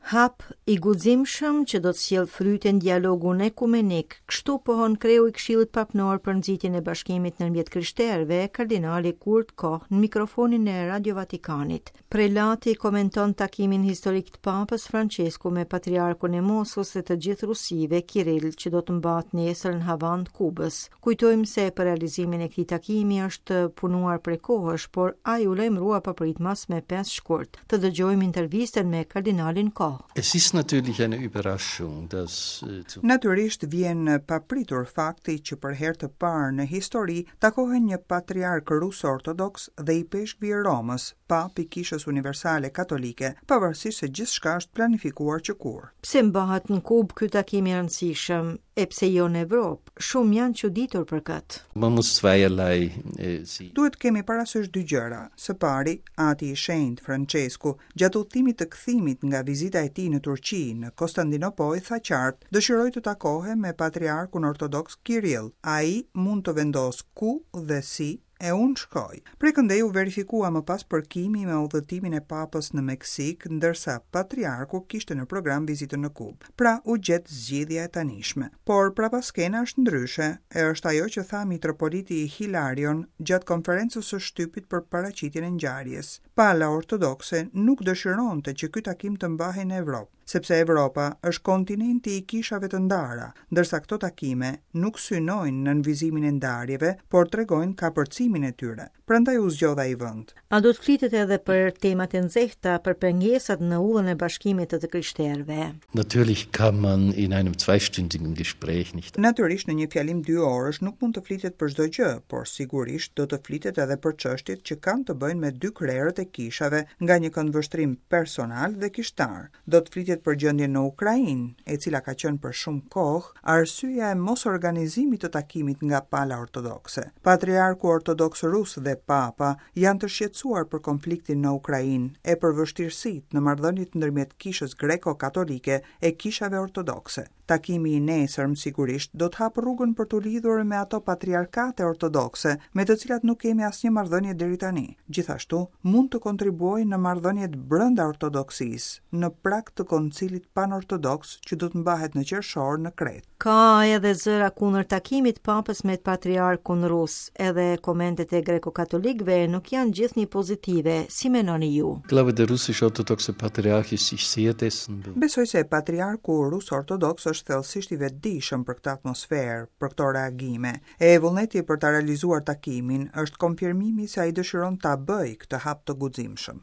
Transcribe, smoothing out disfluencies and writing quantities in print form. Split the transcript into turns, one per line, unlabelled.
Hap i guximshëm që do të sjellë fryte në dialogun ekumenik, kështu pohon kreu i Këshillit Papnor për nxitjen e bashkimit ndërmjet krishterëve, kardinali Kurt Koch në mikrofonin e Radio Vatikanit. Prelati komenton takimin historik të Papës Françesku me Patriarkun e Moskës dhe të gjithë Rusive, Kiril, që do të mbahet nesër në Havanë të Kubës. Kujtojmë se për realizimin e këtij takimi është punuar prej kohësh, por ai u lajmërua papritmas me 5 shkurt. Të dëgjojmë intervistën me kardinalin
Koch. Es ist natürlich eine Überraschung, dass
äh, Natyrisht vjen papritur fakti që për herë të parë në histori takohen një patriark rus ortodoks dhe ipeshkvi i Romës, Papë i Kishës Universale Katolike, pavarësisht se gjithçka është planifikuar që
kur. Pse mbahet në Kubë ky takim i rëndësishëm, e pse jo në Evropë? Shumë janë çuditur për
këtë. Man muss zweierlei
äh, sehen. Duhet të kemi parasysh dy gjëra. Së pari, Ati i Shenjtë, Françesku, gjatë udhëtimit të kthimit nga vizita e tij në Turqi, në Kostandinopojë, tha qartë, Dëshiroj të takohem me Patriarkun Ortodoks Kirill. Ai mund të vendosë ku dhe si E unë shkoj. Prej këndej u verifikua më pas përkimi me udhëtimin e Papës në Meksikë, ndërsa Patriarku kishte në program vizitën në Kubë. Pra, u gjet zgjidhja e tanishme. Por prapaskena është ndryshe, e është ajo që tha mitropoliti Hilarion gjatë konferencës së shtypit për paraqitjen e ngjarjes. Pala ortodokse nuk dëshironte që ky takim të mbahej në Evropë. sepse Evropa është kontinenti i kishave të ndara, ndërsa këto takime nuk synojnë nënvizimin e ndarjeve, por tregojnë kapërcimin e tyre. Prandaj u zgjodh ai vend.
A do të flitet edhe për temat e nxehta, për pengesat në udhën e bashkimit të të krishterëve?
Natürlich kann man in einem zweistündigen Gespräch
nicht. Natyrisht në një fjalim dyorësh nuk mund të flitet për çdo gjë, por sigurisht do të flitet edhe për çështjet që kanë të bëjnë me dy krerët e kishave nga një këndvështrim personal dhe kishtar. Do të flitet për gjendjen në Ukrainë, e cila ka qenë për shumë kohë arsyeja e mosorganizimit të takimit nga pala ortodokse. Patriarku ortodoks rus dhe Papa janë të shqetësuar për konfliktin në Ukrainë e për vështirësitë në marrëdhëniet ndërmjet Kishës Greko-Katolike e kishave ortodokse. Takimi i nesërm sigurisht do të hapë rrugën për t'u lidhur me ato patriarkate ortodokse me të cilat nuk kemi asnjë marrëdhënie deri tani. Gjithashtu, mund të kontribuojë në marrëdhëniet brenda ortodoksisë, në prag të Koncilit Panortodoks që do të mbahet në qershor në Kretë.
Ka edhe zëra kundër takimit të Papës me patriarkun rus. Edhe komentet e greko-katolikëve nuk janë gjithnjë pozitive, si mendoni ju?
Ich glaube, der russisch-orthodoxe Patriarch ist sich sehr dessen
bewusst. Besoj se patriarku rus ortodoks është thellësisht i vetëdijshëm për këtë atmosferë, për këto reagime. E vullneti për ta realizuar takimin është konfirmimi se ai dëshiron ta bëjë këtë hap të guximshëm.